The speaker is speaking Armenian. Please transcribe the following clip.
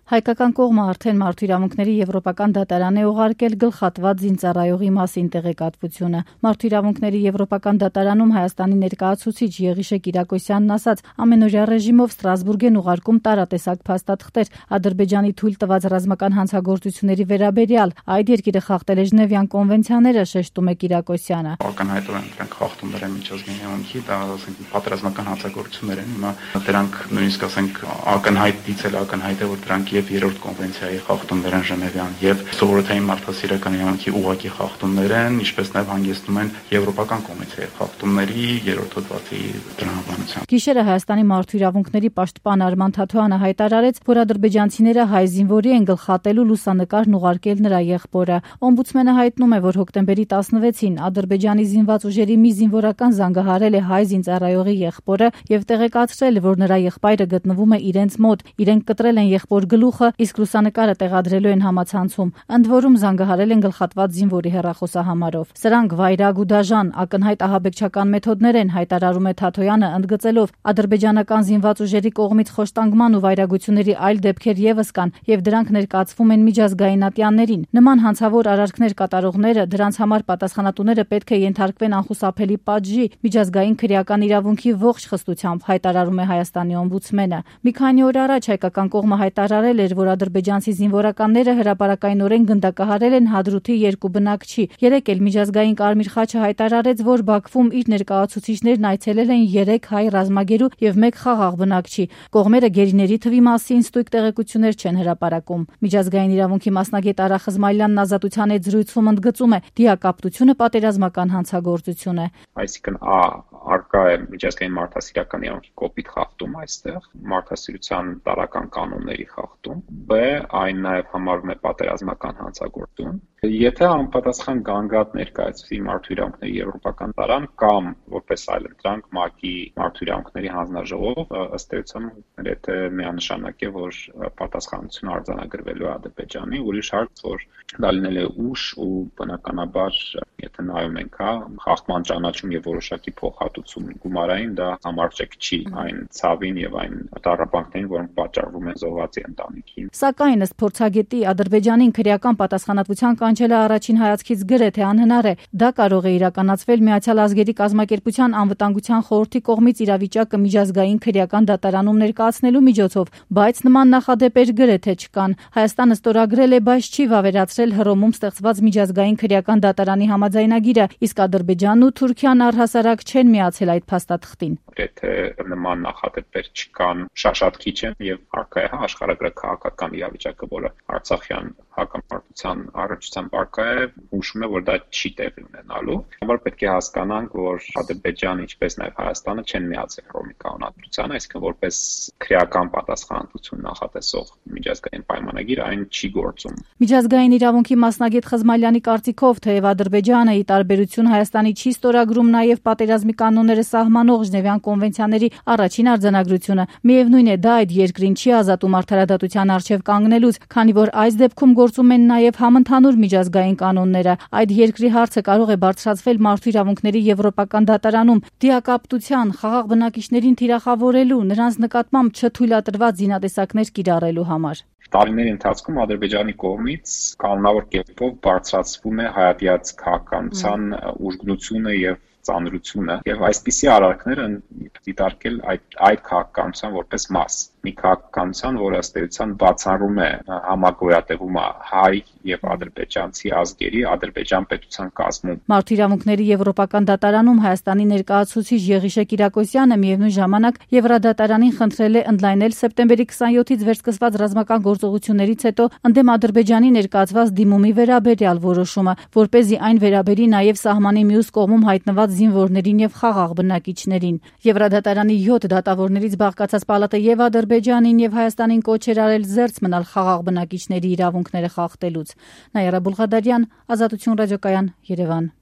Հայկական կողմը արդեն մարդու իրավունքների եվրոպական դատարան է ուղարկել գլխատված զինծառայողի մասին տեղեկատվությունը։ Մարդու իրավունքների եվրոպական դատարանում Հայաստանի ներկայացուցիչ Եղիշե Կիրակոսյանն ասաց, ամենօրյա ռեժիմով Ստրասբուրգ են ուղարկում տարատեսակ փաստաթղթեր Ադրբեջանի թույլ տված ռազմական հանցագործությունների վերաբերյալ։ Այդ երկիրը խախտել է Ժնևյան կոնվենցիաները, շեշտում է Կիրակոսյանը։ Ակնհայտորեն դրանք խախտումներ են միջազգային իրավունքի, դա ասենք պատերազմական հանցագործություններ են։ Հիմա դրանք նույնիսկ ասենք ակնհայտից էլ ակնհայտ է, որ դրանք եւ երրորդ կոնվենցիայի խախտումներ են Ժնևյան եւ սովորութային մարդասիրական իրավունքի ուղղակի խախտումներ են, ինչպես նաեւ հանգեցնում են եվրոպական կոնվենցիայի խախտումների երրորդ հոդվածի տրամաբանությամբ։ Գիշերը Հայաստանի մարդու իրավունքների պաշտպան Արման Թաթոյանը հայտարարեց, որ ադրբեջանցիները հայ զինվորի են գլխատելու լուսանկարն ուղարկել նրա եղբորը։ Օմբուդսմենը հայտնում է, որ հոկտեմբերի 16-ին Ադրբեջանի զինված ուժերի մի զինվորական զանգահարել է հայ զինծառայողի եղբորը եւ տեղեկացրել, որ նրա եղբայրը գտնվում է իրենց մոտ։ Իրենք կտրել են եղբոր գլուխը, իսկ լուսանկարը տեղադրելու են համացանցում։ Ընդ որում զանգահարել են գլխատված զինվորի հեռախոսահամարով։ Սրանք վայրագ ու դաժան, ակնհայտ ահաբեկչական մեթոդներ են, հայտարարում է Թաթոյանը, ընդգծելով, ադրբեջանական զինված ուժերի կողմից խոշտանգման ու վայրագությունների այլ դեպքեր եւս կան եւ դրանք ներկայացվում են միջազգային ատյաններին։ Նման հանցավոր արարքներ կատարողները, դրանց համար պատասխանատուները պետք է ենթարկվեն անխուսափելի պատժի, միջազգային քրեական իրավունքի ողջ խստությամբ, հայտարարում է Հայաստանի օմբուդսմենը։ Մի քանի օր առաջ հայկական կողմը հայտարարել էր, որ ադրբեջանցի զինվորականները հրապարակայնորեն գնդակահարել են Հադրութի երկու բնակչի։ Երեկ էլ միջազգային Կարմիր խաչը հայտարարեց, որ Բաքվում իր ներկայացուցիչներն այցելել են 3 հայ ռազմագերու եւ 1 խաղաղ բնակչի։ Կողմերը գերիների թվի մասին ստույգ տեղեկություններ չեն հրապարակում։ Միջազգային իրավունքի մասնագետ Արա Խզմայլյանն Ազատության հետ զրույցում ընդգծում է, դիակապտությունը պատերազմական հանցագործություն է։ Այսինքն արկա է միջազգային մարդասիրական իրավունքի կոպիտ խախտում այստեղ, մարդասիրության տարրական կանոնների խախտում, բ. այն նաև համարվում է պատերազմական հանցագործություն։ Եթե անպատասխան գանգատ ներկայացվի մարդու իրավունքների եվրոպական դատարան կամ որպես այլընտրանք ՄԱԿ-ի մարդու իրավունքների հանձնաժողով, ըստ էության եթե միանշանակ է, որ պատասխանատվություն արձանագրվելու է Ադրբեջանի, ուրիշ հարց, որ դա լինել է ուշ ու բնականաբար, եթե նայում ենք, խախտման ճանաչում եւ որոշակի փոխհատուցում գումարային, դա համարժեք չի այն ցավին եւ այն տառապանքներին, որոնք պատճառվում են զոհվածի ընտանիքին։ Սակայն ըստ փորձագետի Ադրբեջանին քրեական պատասխանատվության կանչելը առաջին հայացքից գրեթե անհնար է։ Դա կարող է իրականացվել Միացյալ Ազգերի կազմակերպության անվտանգության խորհրդի կողմից իրավիճակը միջազգային քրեական դատարանում ներկայացնելու միջոցով, բայց նման նախադեպեր գրեթե չկան։ Հայաստանը ստորագրել է, բայց չի վավերացրել Հռոմում ստեղծված միջազգային քրեական դատարանի համաձայնագիրը, իսկ Ադրբեջանն ու Թուրքիան առհասարակ չեն միացել այդ փաստաթղթին։ Եթե նման նախադեպեր չկան, շատ քիչ են եւ առկա է աշխարհագրական քաղաքական իրավիճակը, որը Արցախյան հակամարտության առողջության բարգա է, հուշում է, որ դա չի տեղի ունենալու։ Համար պետք է հասկանանք, որ Ադրբեջանը, ինչպես նաև Հայաստանը չեն միացել Հռոմի կանոնադրությանը, այսինքն որպես քրեական պատասխանատվություն նախատեսող միջազգային պայմանագիր այն չի գործում։ Միջազգային իրավունքի մասնագետ Խզմալյանի կարծիքով, թեև Ադրբեջանը ի տարբերություն Հայաստանի չի ստորագրում նաև պատերազմի կանոնները սահմանող Ժնևյան կոնվենցիաների առաջին արձանագրությունը, միևնույն է, դա այդ երկրին չի ազատում արդարադատության առջև կանգնելուց, քանի որ այս դեպքում գործում են նաև համընդհանուր միջազգային կանոնները։ Այդ երկրի հարցը կարող է բարձրացվել մարդու իրավունքների եվրոպական դատարանում դիակապտության, խաղաղ բնակիչներին թիրախավորելու, նրանց նկատմամբ չթույլատրված զինատեսակներ կիրառելու համար։ Տարիների ընթացքում Ադրբեջանի կողմից կանոնավոր կերպով բարձրացվում է հայատյաց քաղաքականության ուժգնությունը եւ ծանրությունը եւ այսպիսի արարքները դիտարկել այդ քաղաքականության որպես մաս, մի քաղաքականության, որը ըստ էության բացառում է համագոյատևումը հայ եւ ադրբեջանցի ազգերի Ադրբեջան պետության կազմում։ Մարդու իրավունքների եվրոպական դատարանում Հայաստանի ներկայացուցիչ Եղիշե Կիրակոսյանը միևնույն ժամանակ Եվրադատարանին խնդրել է ընդլայնել սեպտեմբերի 27-ից վերսկսված ռազմական գործողություններից հետո ընդդեմ Ադրբեջանի ներկայացված դիմումի վերաբերյալ որոշումը, որպեսզի այն վերաբերի նաև սահմանի մյուս կողմում հայտնված զինվորներին եւ խաղաղ բնակիչներին։ Եվրադատարանի 7 դատավորներից բաղկացած պալատը եւ Ադրբեջանին եւ Հայաստանին կոչ էր արել զերծ մնալ խաղաղ բնակիչների իրավունքները խախտելուց։ Նաիրա Բուլղադարյան, Ազատություն ռադիոկայան, Երևան։